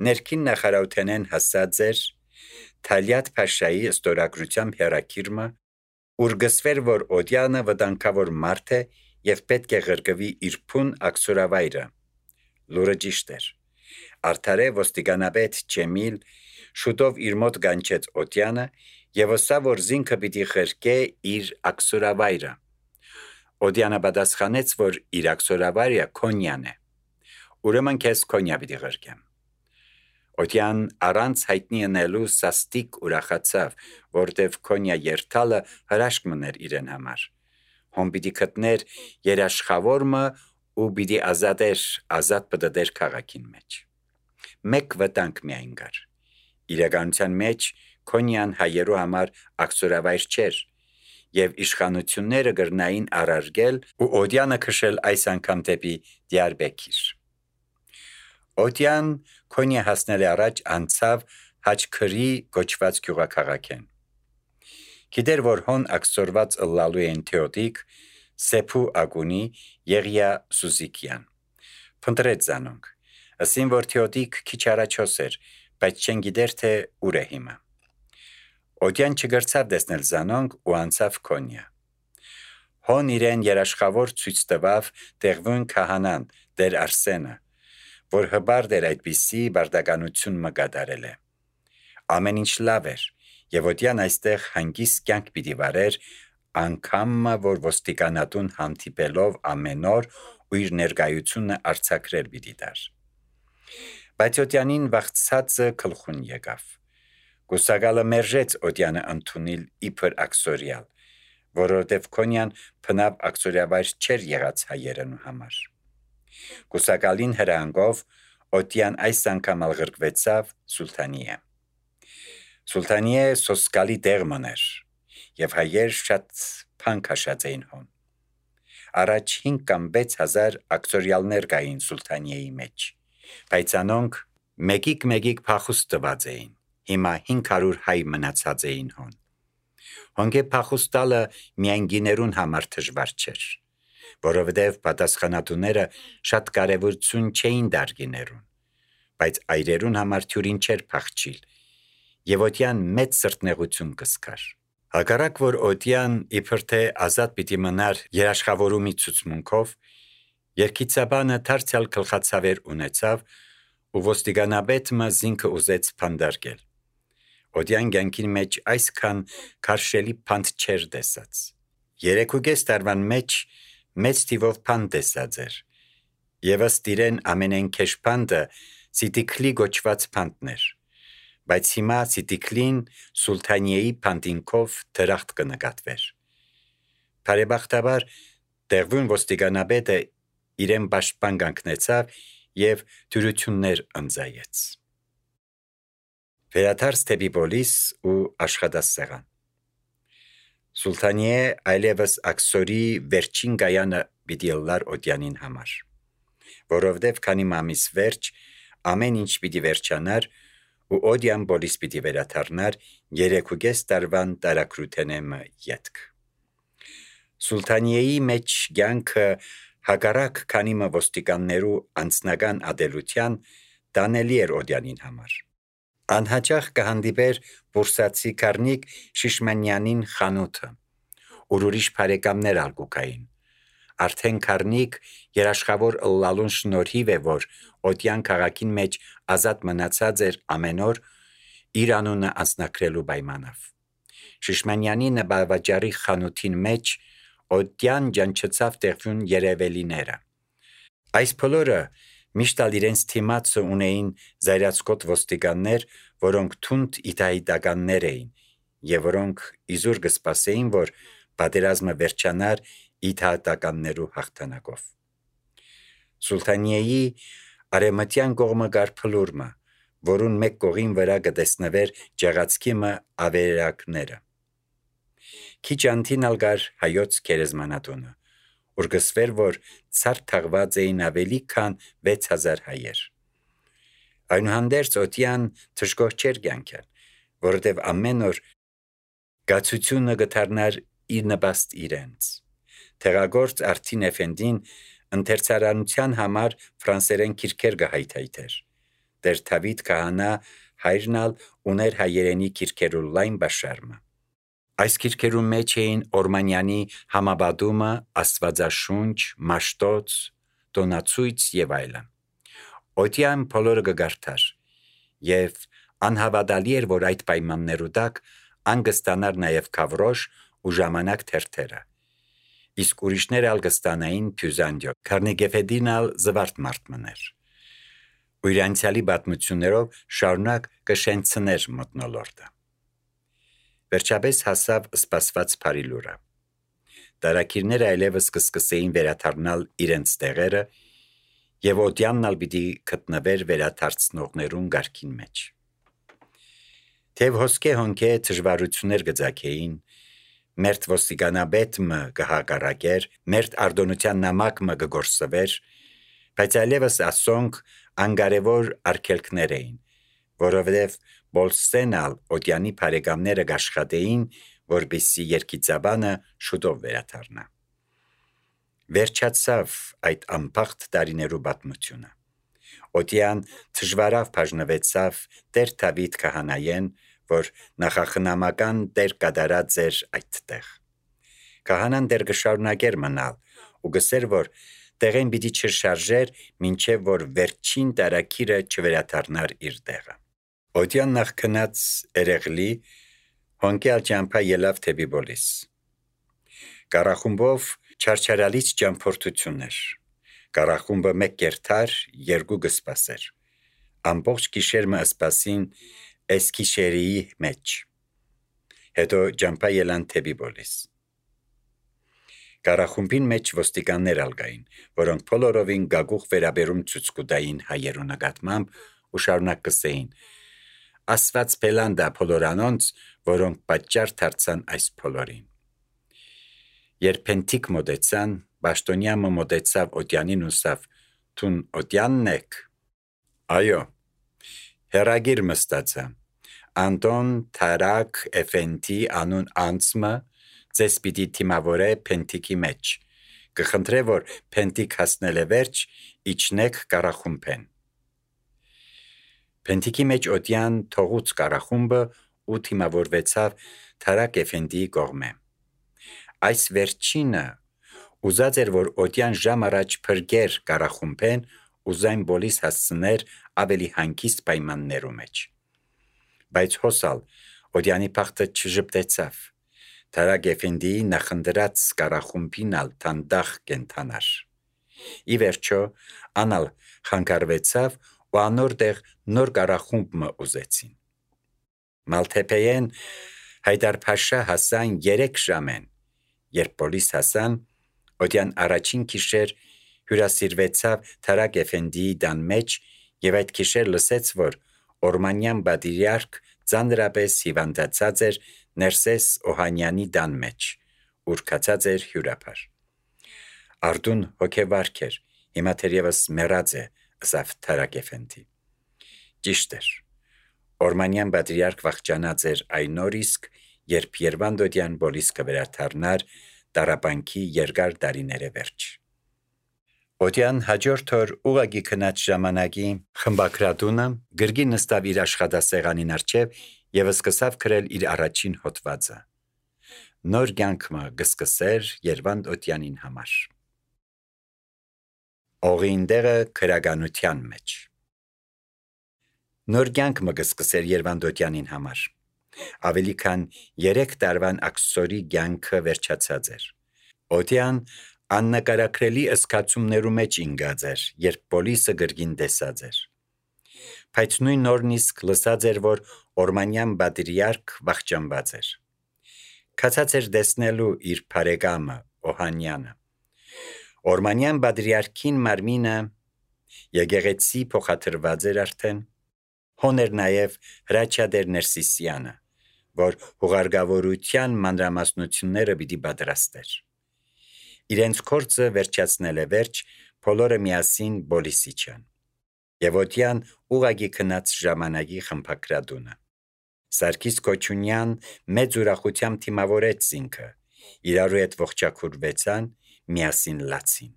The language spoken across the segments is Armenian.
ներքին նախարարութենեն հասած էր Թալյատ Փաշայի ստորագրությամբ հերակիրմը, ուր գսվեր, որ Օդյանը վտանգավոր մարդ է եւ պետք է ղրկվի իր փուն աքսորավայրը։ Լուրը ճիշտ էր։ Արդարե ոստիկանապետ Ջեմիլ շուտով իր մոտ գանչեց Օդյանը եւ ասավ, որ զինքը պիտի ղրկե իր աքսորավայրը։ Օդյանը պատասխանեց, որ իր աքսորավայրը Քոնյան է։ Ուրեմն քեզ Քոնյա պիտի ղրկեմ։ Օդյան առանց հայտնի անելու սաստիկ ուրախացավ, որտեվ Քոնյա երթալը հրաշք մներ իրեն համար։ Հոն պիտի գտներ երաշխավորը ու պիտի ազատ պտտեր քաղաքին մեջ։ Մեկ վտանգ միայն կար։ Իրականության մեջ Քոնյան հայերու համար աքսորավայր չէր, եւ իշխանությունները գրնային առարգել ու Օդյանը քշել այս անգամ դեպի Դիարբեկիր։ Օդյան Քոնյա հասնել առաջ անցավ Հաչքրի գոչված գյուղաքաղաքեն։ Գիտեր, որ հոն աքսորված ըլլալու են Թեոդիկ, Սեփու Ագունի, Եղիա Սուզիկյան։ Փնտրեց զանոնք, ասին, որ Թեոդիկ քիչ առաջոս էր, բայց չեն գիտեր, թե ուր է հիմա։ Օդյան չգրցավ տեսնել զանոնք ու անցավ Քոնյա։ Հոն իրեն երաշխավոր ցույց տվավ տեղվուն քահանան, Տեր Արսենը, որ հբարդ էր այդպիսի բարդականություն մկատարել է։ Ամեն ինչ լավ էր, եւ Օդյան այստեղ հանգիստ կյանք պիտի վարեր, անգամ որ ոստիկանատուն հանդիպելով ամեն օր ու իր ներկայությունը արձակրել պիտի դար։ Բայց Օդյանին վախցածը գլխուն եկավ։ Գուսակալը մերժեց Օդյանը ընդունել իբր աքսորիալ, որովհետև Քոնյան փնավ աքսորիավայր չէր եղած հայերենու համար։ Գուսակալին հրանգով Օդյան այս անգամ ղրկվեցավ Սուլթանիե։ Սուլթանիե սոսկալի դեղ մներ, եւ հայեր շատ փան քաշած էին հոն։ Առաջ 5 կամ 6 հազար աքսորիալներ կային Սուլթանիեի մեջ, բայց անոնք մեկիկ փախուստ տված էին։ Հիմա 500 հայ մնացած էին հոն։ Հոնգե փախուստալը միայն գիներուն համար դժվար չէր, որովհետև պատասխանատուները շատ կարևորություն չէին դար գիներուն, բայց այրերուն համար թյուրին չէր փախչիլ, եւ Օդյան մեծ սրտնեղություն կսկար։ Հակառակ որ Օդյան իբր թե ազատ պիտի մնար երաշխավորումի ցուցմունքով, երկիծաբանը դարձյալ գլխացավեր ունեցավ ու ոստիկանապետը զինքը ուզեց փանդարկել։ Օդյան կյանքին մեջ այսքան քարշելի փանդ չէր տեսած։ 3.5 տարվան մեջ մեծ թիվով փանդ տեսած էր, եւ ըստ իրեն ամենեն քեշ փանդը Սիտիկլի գոչված փանդներ, բայց հիմա Սիտիկլին Սուլթանիեի փանդինքով դրախտ կնկատվեր։ Բարեբախտաբար տեղվուն ոստիկանապետը իրեն պաշտպան կանգնեցավ եւ դյուրություններ ընծայեց։ Վերադարձ դեպի Պոլիս ու աշխատասեղան։ Սուլթանիե այլևս աքսորի վերջին գայանը պիտի լար Օդյանին համար, որովհետև քանի ամիս վերջ ամեն ինչ պիտի վերջանար ու Օդյան Պոլիս պիտի վերադառնար 3.5 տարվան տարակրութենեմը ետք։ Սուլթանիեի մեջ կյանքը հակառակ քանի ոստիկաններու անձնական ադելության տանելի էր Օդյանին համար։ Անհաճախ կհանդիպեր բուրսացի Կարնիկ Շիշմանյանին խանութը, ուր ուրիշ բարեկամներ ալկուկային։ Արդեն Կարնիկ երաշխավոր ըլլալուն շնորհիվ է, որ Օդյան քաղաքին մեջ ազատ մնացած էր ամեն օր իր անունը անձնակրելու պայմանով։ Շիշմանյանի նպատակի խանութին մեջ Օդյան ջանչեցավ տեղյուն երևելիները։ Այս բոլորը միշտ իրենց թիմացը ունեին զայրացկոտ ոստիկաններ, որոնք թունդ իդայդականներ էին, եւ որոնք իզուր կսպասեին, որ պատերազմը վերջանար իդայդականներու հաղթանակով։ Սուլթանիեի արեմտյան կողմը կար փլուրմը, որուն մեկ կողին վրա կտեսնվեր ջեղացքիմը ավերակները։ Քիչ անտին ալգար հայոց գերեզմանատունը, ուր գսվեր, որ ցարտ թաղված էին ավելի քան 6000 հայեր։ Այնուհանդերձ Օդյան թշկող չէր կյանքել, որովհետև ամեն օր գացությունը գտարնար իր նպաստ իրենց։ Տեղագործ Արթին Էֆենդին ընթերցարանության համար ֆրանսերեն քիրքեր կհայթայթեր, Տեր Դավիթ քահանա հայրնալ ուներ հայերենի քիրքերու լայն բաշարմը։ Այս քիրքերու մեջ էին Օրմանյանի համաբադումը, Աստվածաշունչ, Մաշտոց, Տոնացույց եւ այլն։ Օդյան բոլորը գգարթար, եւ անհավատալի էր, որ այդ պայմաններու տակ անգստանար նաեւ Քավրոշ ու ժամանակ թերթերը։ Իսկ ուրիշները ալ կստանային Փյուզանդիո, Քարնեգեֆեդինալ զվարթ մարդ մներ։ Ու իր անցյալի պատմություններով շարունակ կշենցներ մտնոլորտը։ Վերջապես հասավ սպասված փարիլուրը։ Դարակիրները այլևս կսկսեին վերաթարնալ իրենց տեղերը, եւ օդյանն ալ պիտի գտնվեր վերաթարցնողներուն գարքին մեջ։ Թեև հոսքե հոնքե դժվարություններ գծակեին, մերթ ոստիկանաբետը կհակառակեր, մերթ արդոնության նամակը կգործվեր, բայց այլևս ասոնք անկարևոր արգելքներ էին, որովհետև Բոլսենալ օդյանի բարեկամները կաշխատեին, որպեսզի երկիծաբանը շուտով վերաթարնա։ Վերջացավ այդ անփախտ տարիներու պատմությունը։ Օդյան դժվարավ բաժնվեցավ Տեր Դավիթ քահանայեն, որ նախախնամական Տեր կատարած էր այդտեղ։ Քահանան դեռ կշարունակեր մնալ ու գսեր, որ տեղեն պիտի չշարժեր, մինչև որ վերջին տարակիրը չվերաթարնար իր տեղը։ Օդյան նախ քնած երեղլի հոնկյալ ճամփա ելավ թեպի Բոլիս։ Կարախումբով չարչարալից ճամփորդություններ։ Կարախումբը մեկ կերթար, երկու կսպասեր։ Ամբողջ գիշերմը սպասին Էսքիշերիի մեջ։ Հետո ճամփա ելան թեպի Բոլիս։ Կարախումբին մեջ ոստիկաններ ալգային, որոնք բոլորովին գագուխ վերաբերում ցույց կտային հայերու նկատմամբ ու շարունակ կսեին. Աստված բելանդա բոլորանոնց, որոնք պատճառ դարձան այս բոլորին։ Երբ Փենտիկ մոտեցան, Բաշտոնյամը մոտեցավ օդյանին ուսավ. Թուն օդյանն եք։ Այո։ Հերագիր մստացա։ Անտոն Թարակ Էֆենտի անուն անցմը ձեզ պիտի թիմավորե Փենտիկի մեջ։ Կխնդրե, որ Փենտիկ հասնել է վերջ, իջնեք կարախումբեն։ Փենտիկի մեջ օդյան թողուց կարախումբը ու թիմավորվեցավ Թարակ Էֆենտիի կողմէ։ Այս վերջինը ուզած էր, որ օդյան ժամ առաջ փրկեր կարախումբեն ու զայն Բոլիս հասցներ ավելի հանգիստ պայմաններու մեջ։ Բայց հոսալ օդյանի փախտը չժպտեցավ։ Թարակ Էֆենդիի նախնդրած կարախումբին ալ թանդախ կենթանար։ Ի վերջո անալ խանգարվեցավ ու անոր տեղ նոր կարախումբ ուզեցին։ Մալթեփեեն Հայդար Փաշա հասան 3 ժամեն, երբ Բոլիս հասան, օդյան առաջին գիշեր հյուրասիրվեցավ Թարակ Էֆենդիի տան մեջ եւ այդ գիշեր լսեց, որ Օրմանյան բադիրյարք ծանրապես հիվանդացած էր Ներսես Օհանյանի տան մեջ, ուր կացած էր հյուրապար։ Արդուն հոգեվարք էր, հիմա թերևս մեռած է, ըսավ Թարակ Էֆենդի։ Ճիշտ էր։ Օրմանյան բադիրյարք վախճանած էր այն օր իսկ, երբ Երվանդոդյան Բոլիս կվերաթարնար տառապանքի երկար տարիները վերջ։ Օդյան հաջորդ օր ուղագի քնած ժամանակի խմբակրատունը գրգի նստավ իր աշխատասեղանին առջև եւ սկսավ գրել իր առաջին հոդվածը։ Նոր կյանքը կսկսեր Երվանդ Օդյանին համար։ Օղինդերը քրագանության մեջ։ Նոր կյանքը կսկսեր Երվանդ Օդյանին համար։ Ավելի քան 3 տարվան աքսորի կյանքը վերջացած էր։ Օդյան աննկարագրելի զգացումներու մեջ ինգած էր, երբ Բոլիսը գրգին տեսած էր։ Բայց նույն օրն իսկ լսած էր, որ Օրմանյան բادرիարք վախճանված էր։ Կացած էր տեսնելու իր բարեկամը Օհանյանը։ Օրմանյան բادرիարքին մարմինը եկեղեցի փոխադրված էր արդեն։ Հոներ նաև Հրաչյադեր Ներսիսյանը, որ հուղարկավորության մանրամասնությունները պիտի պատրաստեր։ Իրենց կորձը վերջացնել է վերջ, բոլորը միասին Բոլիսի չան։ Եվ օդյան ուղագի քնած ժամանակի խմբակրատունը։ Սարգիս Քոչունյան մեծ ուրախությամբ թիմավորեց ինքը, իրարու հետ ողջակուրվեցան, միասին լացին։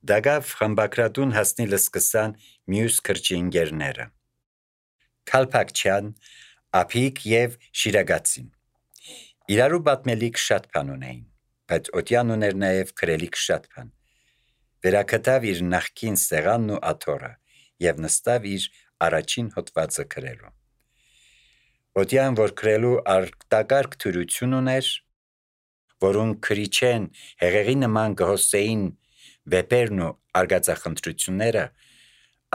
Դագավ խմբակրատուն հասնիլը սկսան մյուս քրճի ընկերները։ Քալփակչյան, Ափիկ եւ Շիրագացին։ Իրարու պատմելիք շատ բան ունեին, բայց Օտյան ուներ նաեւ քրելիք շատ բան։ Վերակտավ իր նախկին սեղանն ու աթոռը եւ նստավ իր առաջին հոդվածը քրելու։ Օտյան, որ քրելու արտակարգ թյուրություն ուներ, որուն քրիչեն հեղեղի նման գհոսեին վեպերն ու արգածախնդրությունները,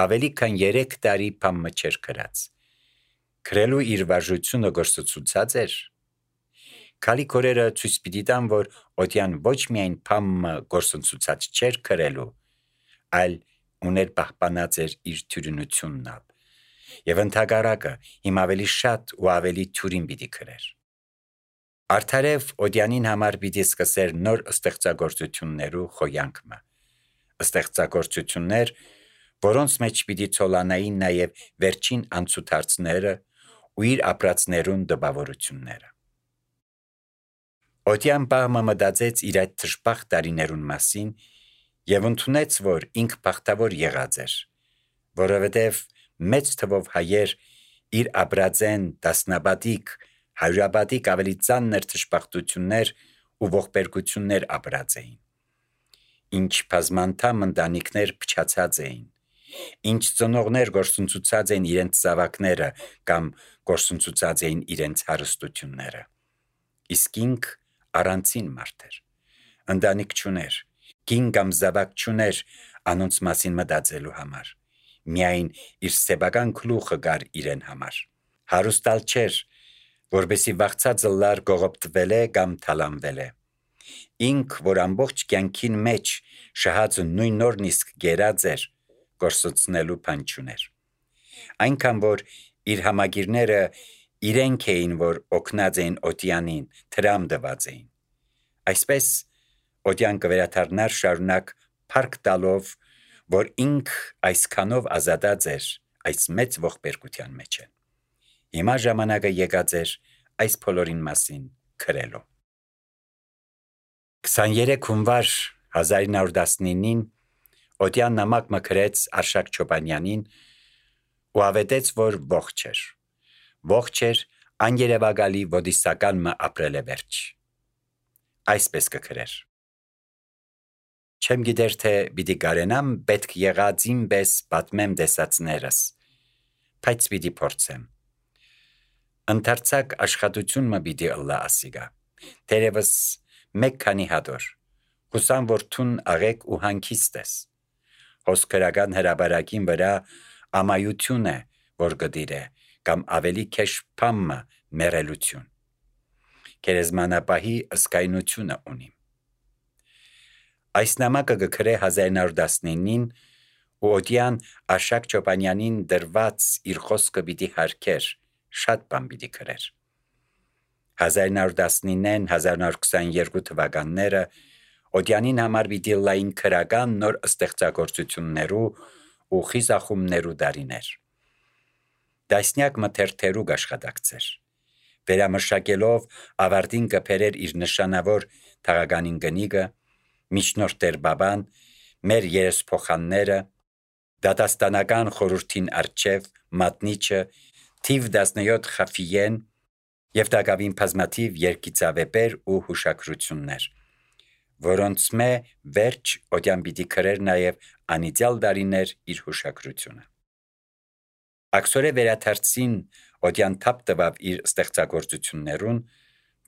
ավելի քան 3 տարի փամը չէր քրած։ Քրելու իր վարժությունը գործծուցած էր։ Քալի կորերը ցույց պիտի տան, որ Օտյան ոչ միայն փամը գործծուցած չէր քրելու, այլ ուներ պահպանած էր իր թյուրինությունն ալ, եւ ընդհակառակը հիմա ավելի շատ ու ավելի թյուրին պիտի քրեր։ Արդարև Օտյանին համար պիտի սկսեր նոր ստեղծագործություններու խոյանքը, ստեղծագործություններ, որոնց մեջ պիտի ցոլանային նաև վերջին անցուդարձները ու իր ապրածներուն դպավորությունները։ Օտյան բաղմը մտածեց իր այդ թշպախ տարիներուն մասին եւ ընդունեց, որ ինք բախտավոր եղած էր, որովհետեւ մեծ թվով հայեր իր ապրածեն դասնապատիկ, հարյուրապատիկ ավելի ծանր թշպախտություններ ու ողբերգություններ ապրած էին։ Ինչ բազմանդամ ընտանիքներ փչացած էին, ինչ ծնողներ գործընծուցած էին իրենց զավակները կամ գործընծուցած էին իրենց հարստությունները։ Իսկ ինք առանցին մարդ էր, ընտանիք չուներ, կին կամ զավակ չուներ անոնց մասին մտածելու համար, միայն իր սեփական գլուխը գար իրեն համար։ Հարուստալ չէր, որբեսի վախցածը լար գողոպտվել է կամ թալանվել է։ Ինք, որ ամբողջ կյանքին մեջ շահածը նույն նորնիսկ գերած էր, գործոցնելու բան չուներ։ Այնքան, որ իր համագիրները իրենք էին, որ օգնած էին Օտյանին, թրամ տված էին։ Այսպես Օտյան կվերադառնար շարունակ փառք տալով, որ ինք այսքանով ազատած էր այս մեծ ողբերգության մեջ։ Հիմա ժամանակը եկած էր այս բոլորին մասին քրելու։ 23 հունվար 1919-ին Օտյան նամակ մկրեց Արշակ Չոբանյանին ու ավետեց, որ ողջ էր։ Ողջ էր աներևակալի ոդիսական մը ապրել է վերջ։ Այսպես կքրեր. Չեմ գիտեր, թե պիտի կարենամ պետք եղածին պես պատմեմ դեսածներս, բայց պիտի փորձեմ։ Ընդարձակ աշխատություն մը պիտի ըլլա ասիգա, թերևս մեկ քանի հատոր, հուսամ, որ թուն աղեք ու հանգիստ ես։ Հոսքրական հրաբարակին վրա ամայություն է, որ գդիր է, կամ ավելի քեշ փամը մերելություն։ Կերեզմանապահի ըսկայնությունը ունիմ։ Այս նամակը գքրե 1919-ին ու Օտյան Արշակ Չոբանյանին դրված իր խոսքը պիտի հարկեր, շատ բան պիտի քրեր։ 1919-ն 1922 թվականները Օտյանին համար պիտի լային քրական նոր ստեղծագործություններու ու խիզախումներու դարիներ։ Դասնյակ մթերթերու աշխատակցեր, վերամշակելով ավարտին կփերեր իր նշանավոր թաղականին գնիգը, միջնորդեր բաբան, մեր երեսփոխանները, դատաստանական խորհրդին արչև, մատնիչը, թիվ 17 խաֆիեն եւ դակավին բազմաթիվ երկիծավեպեր ու հուշագրություններ, որոնց մե վերջ Օտյան պիտի քրեր նաեւ անիծյալ դարիներ իր հուշագրությունը։ Աքսորե վերաթարցին Օտյան թափ տվավ իր ստեղծագործություններուն,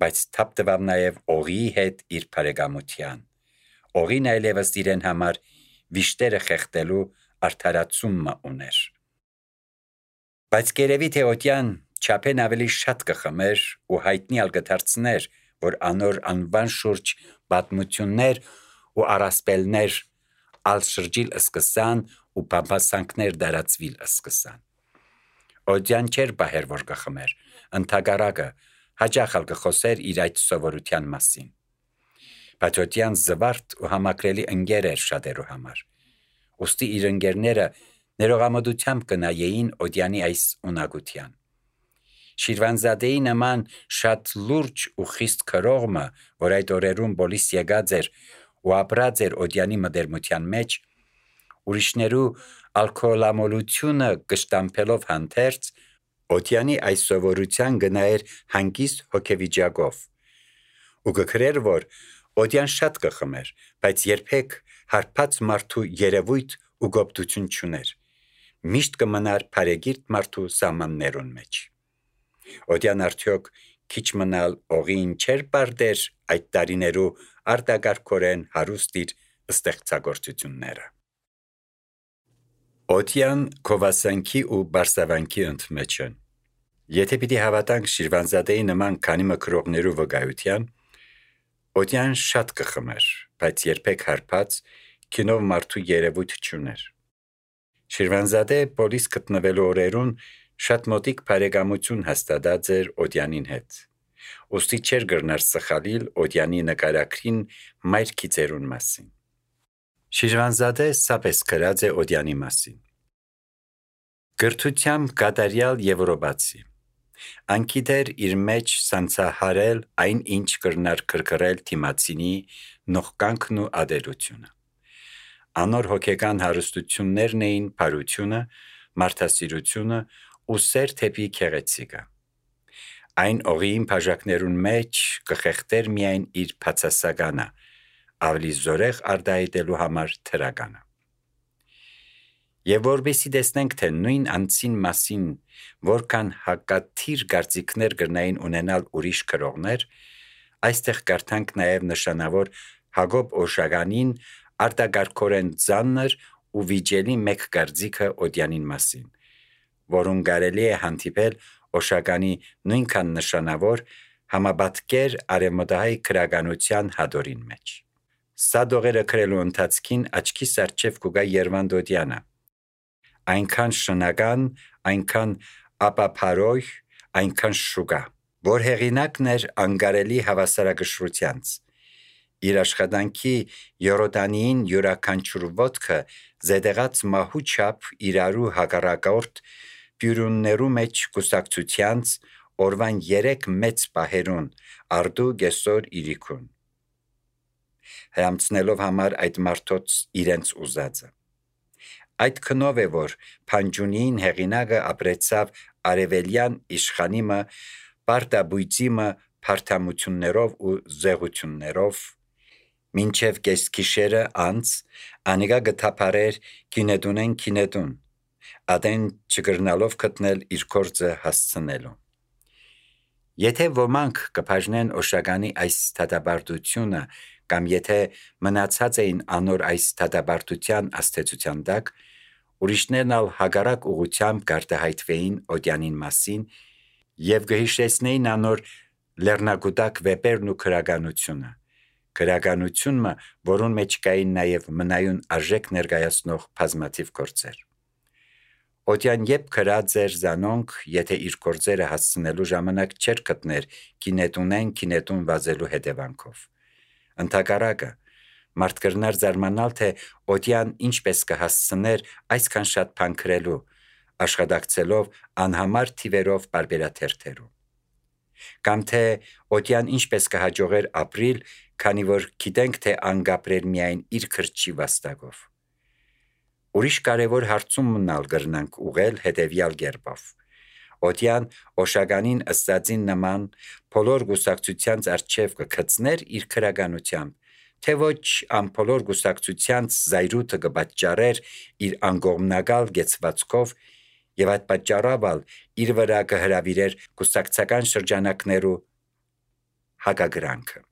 բայց թափ տվավ նաեւ օղիի հետ իր բարեկամության։ Օղին այլևս իրեն համար վիշտերը խեղտելու արդարացումը ուներ։ Բայց կերևի թե Օտյան չափեն ավելի շատ կխմեր ու հայտնի ալգդարձներ, որ անոր անվան շուրջ պատմություններ ու առասպելներ ալշրջիլ սկսան ու բամբասանքներ դարածվիլ սկսան։ Օտյան չէր բահեր, որ կխմեր, ընդհակառակը հաճախ կխոսեր իր այդ սովորության մասին։ Բայց Օտյան զվարթ ու համակրելի ընկեր էր շատերու համար։ Ուստի իր ընկերները ներողամտությամբ կնայեին Օտյանի այս ունակության։ Շիրվանզադեի նման շատ լուրջ ու խիստ քրողը, որ այդ օրերուն բոլիս եկած էր ու ապրած էր Օտյանի մտերմության մեջ, ուրիշներու ալկոհոլամոլությունը կշտամփելով հանդերձ, Օդյանի այս սովորության գնայր հանգիստ հոգեվիճակով, ու գքրեր, որ Օդյան շատ կխմեր, բայց երբեք հարբած մարդու երևույթ ու գոպտություն չուներ, միշտ կմնար փարեգիրտ մարդու սահմաններուն մեջ։ Օդյան արդյոք քիչ մնալ օղին չէր պարդեր այդ տարիներու արտագարկորեն հարուստ իր ստեղծագործությունները։ Օդյան քովասանքի ու բարսավանքի ընդմեջն։ Եթե պիտի հավատանք Շիրվանզադեի նման քանի մկրողներու վկայության, Օդյան շատ կխմեր, բայց երբեք հարբած քինով մարդու երևույթ չուներ։ Շիրվանզադե պոլիս գտնվելու օրերուն շատ մոտիկ բարեկամություն հաստատած էր Օդյանին հետ։ Ոստի չէր գրնար սխալիլ Օդյանի նկարագրին մայր քիծերուն մասին։ Շիրվանզադե սապես գրած է Օդյանի մասին։ Գրթությամբ կատարյալ եվրոպացի։ Անկիդեր իր մեջ սանցահարել այն ինչ կրնար կրկրել թիմացինի նողկանքն ու ադելությունը։ Անոր հոգեկան հարստություններն էին բարությունը, մարդասիրությունը ու սեր թեպի քեղեցիկը։ Այն օղիին բաժակներուն մեջ կխեղտեր միայն իր բացասականը, ավելի զորեղ արդայդելու համար թրականը։ Եվ որբեսի տեսնենք, թե նույն անձին մասին որքան հակաթիր կարծիքներ կրնային ունենալ ուրիշ գրողներ, այստեղ կարդանք նաև նշանավոր Հակոբ Օշագանին արտագարկորեն ծանր ու վիճելի մեկ կարծիքը Օդյանին մասին, որուն կարելի է հանդիպել Օշագանի նույնքան նշանավոր համապատկեր արևմտահայ գրականության հատորին մեջ։ Սա դողերը գրելու ընթացքին աչքիս առջև կուգա Երվանդ Օդյանը, այնքան շնական, այնքան ապափարոյ, այնքան շուկա, որ հեղինակն էր անկարելի հավասարակշռությանց։ Իր աշխատանքի յորոտանիին յուրաքանչյուր ոտքը զետեղած մահու չափ իրարու հակառակորդ բյուրուններու մեջ կուսակցությանց օրվան 3 մեծ պահերուն արդու գեսոր իրիկուն, հրամցնելով համար այդ մարդոց իրենց ուզածը։ Այդ քնով է, որ Փանջունիին հեղինակը ապրեցավ արևելյան իշխանիմը, պարտաբույծիմը, փարթամություններով ու զեղություններով, մինչև կեսգիշերը անց անիկա գտապարեր կինետուն, ադեն չգրնալով գտնել իր գործը հասցնելու։ Եթե ոմանք կբաժնեն Օշագանի այս դատապարտությունը կամ եթե մնացած էին անոր այս դատապարտության աստեցության տակ, ուրիշներն ալ հակառակ ուղղությամբ կարտահայտվեին Օդյանին մասին եւ կհիշեցնեին անոր լեռնագուտակ վեպերն ու քրականությունը, որուն մեջ կային նաև մնայուն արժեք ներկայացնող բազմաթիվ գործեր։ Օդյան երբ գրած էր զանոնք, եթե իր գործերը հասցնելու ժամանակ չէր գտներ կինետուն վազելու հետևանքով։ Ընդհակառակը, մարդ կրնար զարմանալ, թե Օդյան ինչպես կհասցներ այսքան շատ բան գրելու, աշխատակցելով անհամար թիվերով պարբերաթերթերու։ Կամ թե Օդյան ինչպես կհաջողեր ապրիլ, քանի որ գիտենք, թե անգապրեր միայն իր քրչի վաստակով։ Ուրիշ կարևոր հարցումն ալ կրնանք ուղղել հետևյալ կերպով։ Օդյան Օշագանին ըստածին նման բոլոր գուսակցությանց առջև կգծներ իր քրականությամբ, թե ոչ ամբոլոր գուսակցությանց զայրույթը կպատճառեր իր անգողմնակալ գեցվածքով եւ այդ պատճառով իր վրա կհրավիրեր գուսակցական շրջանակներու հակագրանքը։